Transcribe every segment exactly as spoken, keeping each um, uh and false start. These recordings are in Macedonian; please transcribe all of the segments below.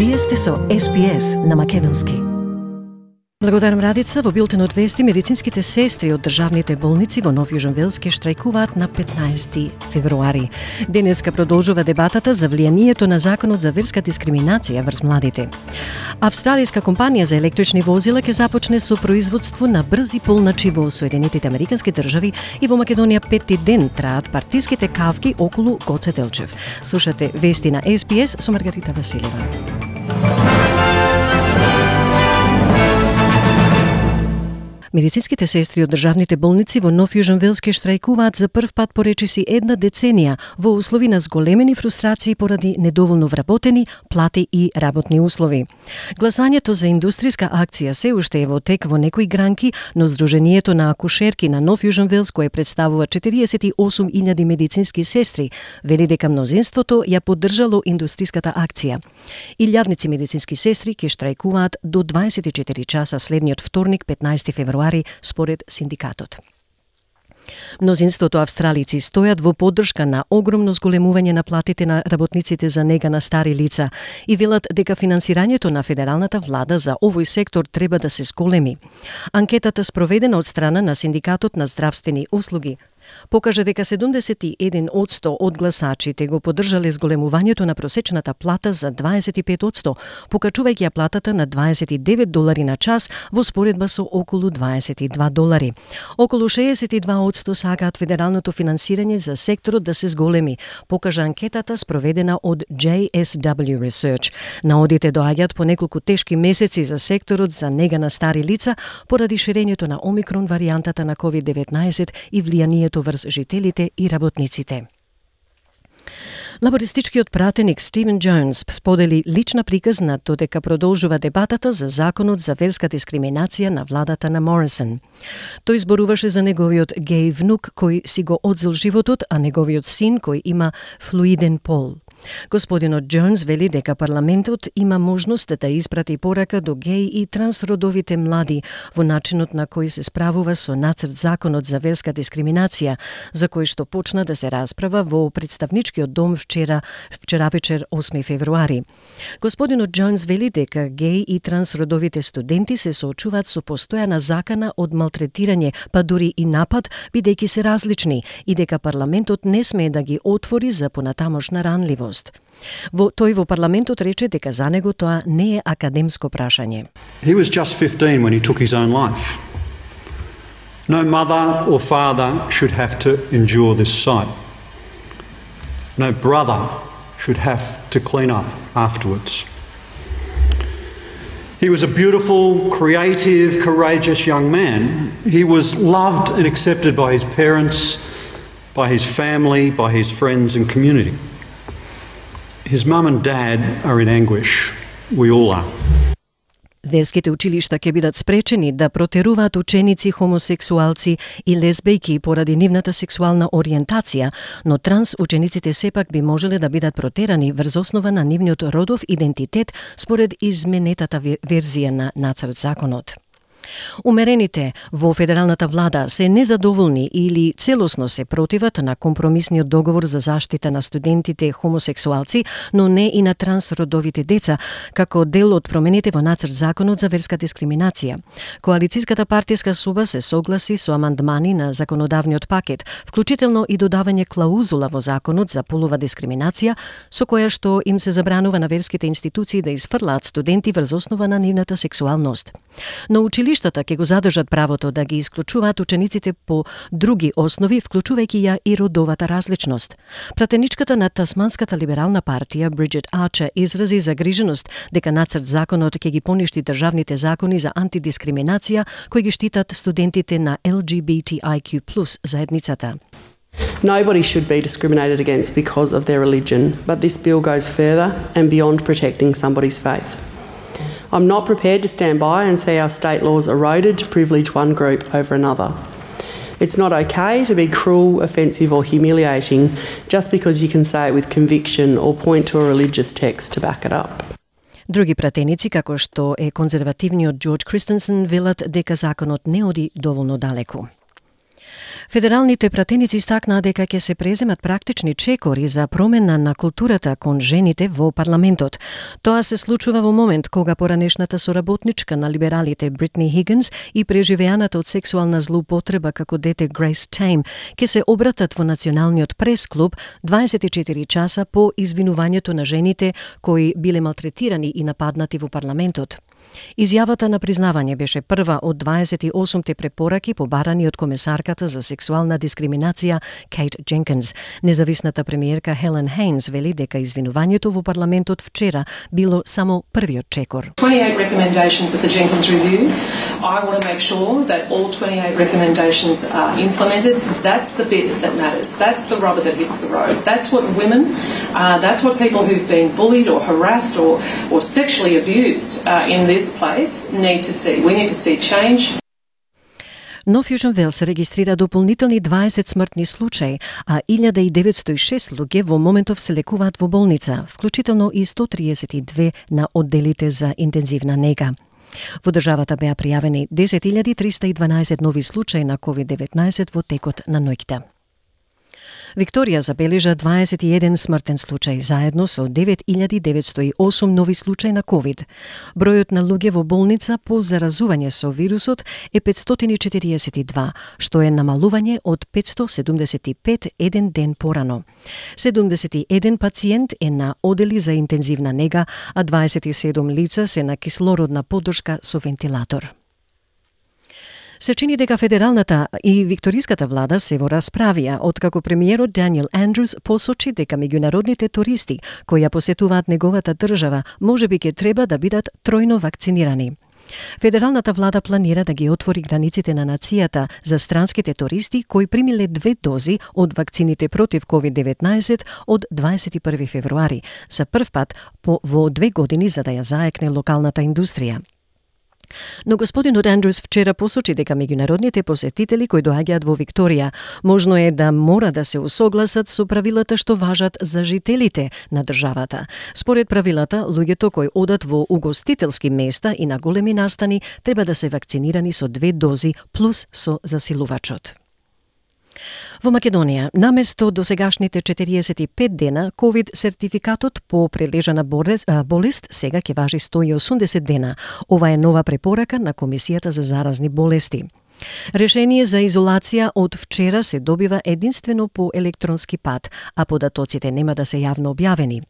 Вие сте со Ес Би Ес на македонски. Благодарам Радица. Во билтенот вести, медицинските сестри од државните болници во Нов Јужен Велс ке штрајкуваат на петнаесети февруари. Денеска продолжува дебатата за влијанието на законот за верска дискриминација врз младите. Австралиска компанија за електрични возила ке започне со производство на брзи полначи во Соединетите Американски држави и во Македонија петти ден траат партиските кавки околу Гоце Делчев. Слушате вести на Ес Би Ес со Маргарита Василева. Медицинските сестри од државните болници во Нов Јужен Велс ке штрајкуваат за прв пат по речиси една деценија во услови на зголемени фрустрации поради недоволно вработени плати и работни услови. Гласањето за индустријска акција се уште е во тек во некои гранки, но Сдруженијето на акушерки на Нов Јужен Велс, кое представува четириесет и осум илјади медицински сестри, вели дека мнозинството ја поддржало индустријската акција. Илјадници медицински сестри ке штрајкуваат до дваесет и четири часа следниот вторник, петнаесети февруари, според синдикатот. Мнозинството австралици стојат во поддршка на огромно зголемување на платите на работниците за нега на стари лица и велат дека финансирањето на федералната влада за овој сектор треба да се зголеми. Анкетата спроведена од страна на Синдикатот на здравствени услуги покажа дека седумдесет и еден одсто од гласачите го поддржале зголемувањето на просечната плата за дваесет и пет одсто, покачувајќи ја платата на дваесет и девет долари на час во споредба со околу дваесет и два долари. Околу шеесет и два одсто сакаат федералното финансирање за секторот да се зголеми, покажа анкетата спроведена од J S W Research. Наодите доаѓаат по неколку тешки месеци за секторот за нега на стари лица поради ширењето на омикрон варијантата на ковид деветнаесет и влијанието врз жителите и работниците. Лабористичкиот пратеник Стивен Джонс сподели лична приказна додека продолжува дебатата за законот за верска дискриминација на владата на Морисон. Тој зборуваше за неговиот геј внук кој си го одзел животот, а неговиот син кој има флуиден пол. Господинот Джонс вели дека парламентот има можност да испрати порака до геј и трансродовите млади во начинот на кој се справува со нацрт законот за верска дискриминација, за кој што почна да се расправа во представничкиот дом вчера, вчера вечер осми февруари. Господинот Джонс вели дека геј и трансродовите студенти се соочуваат со постојана закана од малтретирање, па дури и напад, бидејќи се различни, и дека парламентот не смее да ги отвори за понатамошна ранливост. Во тој во парламентот рече дека за него тоа не е академско прашање. He was just fifteen when he took his own life. No mother or father should have to endure this sight. No brother should have to clean up afterwards. He was a beautiful, creative, courageous young man. He was loved and accepted by his parents, by his family, by his friends and community. His mum and dad are in anguish. We all are. Верските училишта ќе бидат спречени да протеруваат ученици хомосексуалци и лесбејки поради нивната сексуална ориентација, но транс учениците сепак би можеле да бидат протерани врз основа на нивниот родов идентитет според изменетата верзија на нацрт законот. Умерените во федералната влада се незадоволни или целосно се противат на компромисниот договор за заштита на студентите хомосексуалци, но не и на трансродовите деца, како дел од промените во нацрт законот за верска дискриминација. Коалицијската партиска соба се согласи со амандмани на законодавниот пакет, вклучително и додавање клаузула во законот за полова дискриминација, со која што им се забранува на верските институции да изфрлаат студенти врз основа на нивната сексуалност. Но училиштата ќе го задржат правото да ги исклучуваат учениците по други основи, вклучувајќи ја и родовата различност. Пратеничката на Тасманската либерална партија Бриджит Арчер изрази загриженост дека нацрт законот ќе ги поништи државните закони за антидискриминација кои ги штитат студентите на L G B T I Q plus заедницата. Nobody should be discriminated against because of their religion, but this bill goes further and beyond protecting somebody's faith. I'm not prepared to stand by and see our state laws eroded to privilege one group over another. It's not okay to be cruel, offensive or humiliating just because you can say it with conviction or point to a religious text to back it up. Други пратеници, како што е конзервативниот Джордж Кристенсен, велат дека законот не оди доволно далеку. Федералните пратеници истакнаа дека ќе се преземат практични чекори за промена на културата кон жените во парламентот. Тоа се случува во момент кога поранешната соработничка на либералите Бритни Хигинс и преживеаната од сексуална злоупотреба како дете Грейс Тейм ќе се обратат во Националниот прес-клуб дваесет и четири часа по извинувањето на жените кои биле малтретирани и нападнати во парламентот. Изјавата на признавање беше прва од дваесет и осумте препораки побарани од комесарката за сексуална дискриминација Кейт Дженкинс. Независната премиерка Хелен Хейнс вели дека извинувањето во парламентот вчера било само првиот чекор. twenty-eight recommendations of the Jenkins Review. I want to make sure that all twenty-eight recommendations are implemented. That's the bit that matters. That's the rubber that hits the road. That's what women, uh, that's what people who've been bullied or harassed or, or sexually abused uh, in this place need to see. We need to see change. Нов Јужен Велс регистрира дополнителни дваесет смртни случаи, а илјада деветстотини и шест луѓе во моментов се лекуваат во болница, вклучително и сто триесет и две на одделите за интензивна нега. Во државата беа пријавени десет илјади триста и дванаесет нови случаи на ковид деветнаесет во текот на ноќта. Викторија забележа дваесет и еден смртен случај, заедно со девет илјади деветстотини и осум нови случаи на ковид. Бројот на луѓе во болница по заразување со вирусот е петстотини и четириесет и два, што е намалување од петстотини седумдесет и пет еден ден порано. седумдесет и еден пациент е на одели за интензивна нега, а дваесет и седум лица се на кислородна поддршка со вентилатор. Се чини дека федералната и викториската влада се во расправија, откако премиерот Даниел Андрус посочи дека меѓународните туристи кои ја посетуваат неговата држава можеби ќе треба да бидат тројно вакцинирани. Федералната влада планира да ги отвори границите на нацијата за странските туристи кои примиле две дози од вакцините против ковид деветнаесет од дваесет и први февруари, за прв пат по, во две години за да ја заекне локалната индустрија. Но господинот Андрус вчера посочи дека меѓународните посетители кои доаѓаат во Викторија можно е да мора да се усогласат со правилата што важат за жителите на државата. Според правилата, луѓето кои одат во угостителски места и на големи настани треба да се вакцинирани со две дози плюс со засилувачот. Во Македонија, наместо досегашните четириесет и пет дена, ковид сертификатот по прележана болест сега ќе важи сто и осумдесет дена. Ова е нова препорака на Комисијата за заразни болести. Решение за изолација од вчера се добива единствено по електронски пат, а податоците нема да се јавно објавени.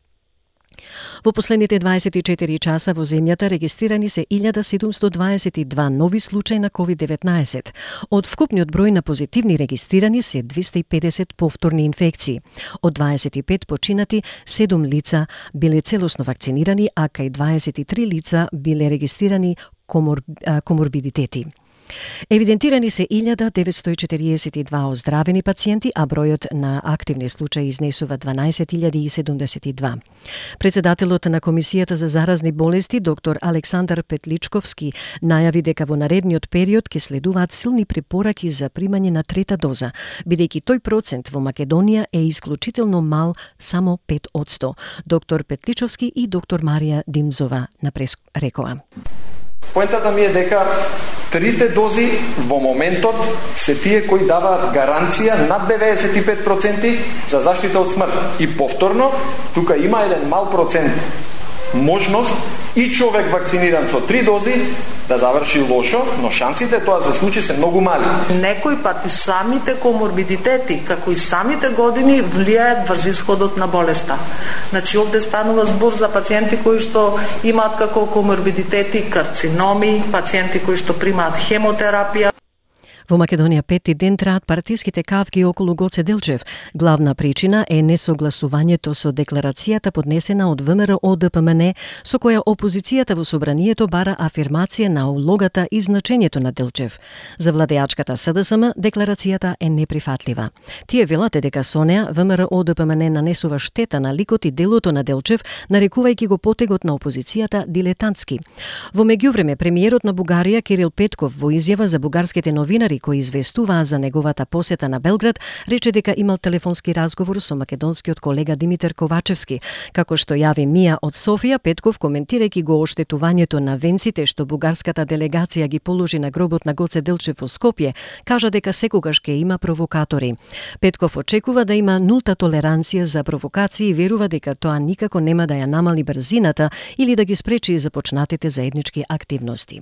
Во последните дваесет и четири часа во земјата регистрирани се илјада седумстотини дваесет и два нови случаи на ковид деветнаесет. Од вкупниот број на позитивни регистрирани се двеста и педесет повторни инфекции. Од дваесет и пет починати, седум лица биле целосно вакцинирани, а кај дваесет и три лица биле регистрирани комор, коморбидитети. Евидентирани се илјада деветстотини и четириесет и два оздравени пациенти, а бројот на активни случаи изнесува дванаесет илјади седумдесет и два. Председателот на Комисијата за заразни болести, доктор Александар Петличковски, најави дека во наредниот период ќе следуваат силни препораки за примање на трета доза, бидејќи тој процент во Македонија е исклучително мал, само пет одсто. Доктор Петличовски и доктор Марија Димзова на прес рекоа. Поентата ми е дека трите дози во моментот се тие кои даваат гаранција над деветдесет и пет проценти за заштита од смрт. И повторно, тука има еден мал процент можност и човек вакциниран со три дози да заврши лошо, но шансите тоа за случаи се многу мали. Некој пат и самите коморбидитети, како и самите години, влијаат врз исходот на болеста. Значи, овде станува збор за пациенти кои што имаат како коморбидитети карциноми, пациенти кои што примаат хемотерапија. Во Македонија пети ден траат партиските кавги околу Гоце Делчев. Главна причина е несогласувањето со декларацијата поднесена од ВМРО Д П М Н, со која опозицијата во собранието бара афирмација на улогата и значењето на Делчев. За владеачката С Д С М декларацијата е неприфатлива. Тие велат дека со неа ВМРО Д П М Н нанесува штета на ликот и делото на Делчев, нарекувајќи го потегот на опозицијата дилетантски. Во меѓувреме, премиерот на Бугарија Кирил Петков во изјава за бугарските новинари кои известуваа за неговата посета на Белград, рече дека имал телефонски разговор со македонскиот колега Димитар Ковачевски. Како што јави Мија од Софија, Петков, коментирајќи го оштетувањето на венците што бугарската делегација ги положи на гробот на Гоце Делчев во Скопје, кажа дека секогаш ќе има провокатори. Петков очекува да има нулта толеранција за провокации и верува дека тоа никако нема да ја намали брзината или да ги спречи започнатите заеднички активности.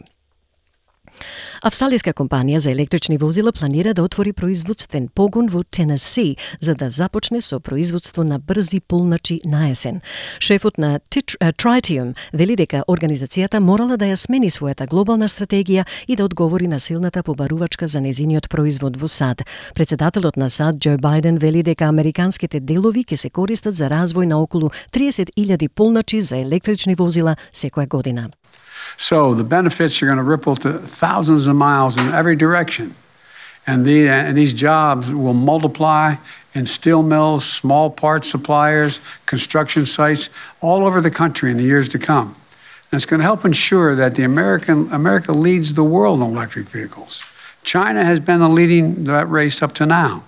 Австралијска компанија за електрични возила планира да отвори производствен погон во Тенеси за да започне со производство на брзи полначи на есен. Шефот на Tritium вели дека организацијата морала да ја смени својата глобална стратегија и да одговори на силната побарувачка за незиниот производ во САД. Председателот на САД Џо Бајден вели дека американските делови ќе се користат за развој на околу триесет илјади полначи за електрични возила секоја година. So the benefits are going to ripple to thousands of miles in every direction. And, the, and these jobs will multiply in steel mills, small parts suppliers, construction sites all over the country in the years to come. And it's going to help ensure that the American, America leads the world in electric vehicles. China has been the leading that race up to now,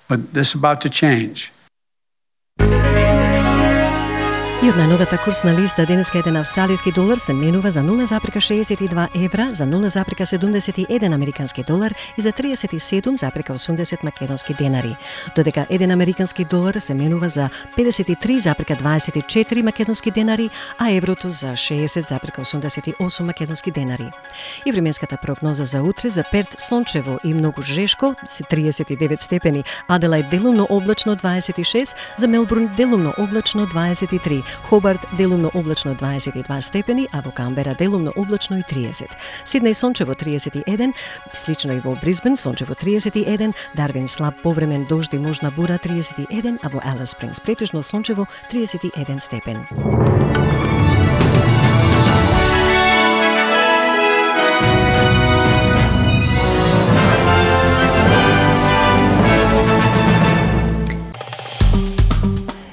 but this is about to change. И од најновата курсна листа денеска еден австралиски долар се менува за нула запирка шеесет и два евра, за нула запирка седумдесет и еден американски долар и за триесет и седум запирка осумдесет македонски денари. Додека еден американски долар се менува за педесет и три запирка дваесет и четири македонски денари, а еврото за шеесет запирка осумдесет и осум македонски денари. И временската прогноза за утре: за Перт сончево и многу жешко, триесет и девет степени, Аделајд делумно облачно дваесет и шест, за Мелбурн делумно облачно дваесет и три, Хобарт делумно облачно дваесет и два степени, а во Камбера делумно облачно и триесет. Сиднеј сончево триесет и еден, слично и во Брисбен сончево триесет и еден, Дарвин слаб повремен дожд и можна бура триесет и еден, а во Алис Спрингс претежно сончево триесет и еден степен.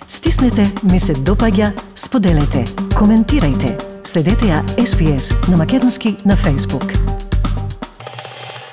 Стиснете, ми се допаѓа, споделете, коментирајте. Следете ја Ес Би Ес на македонски на Facebook.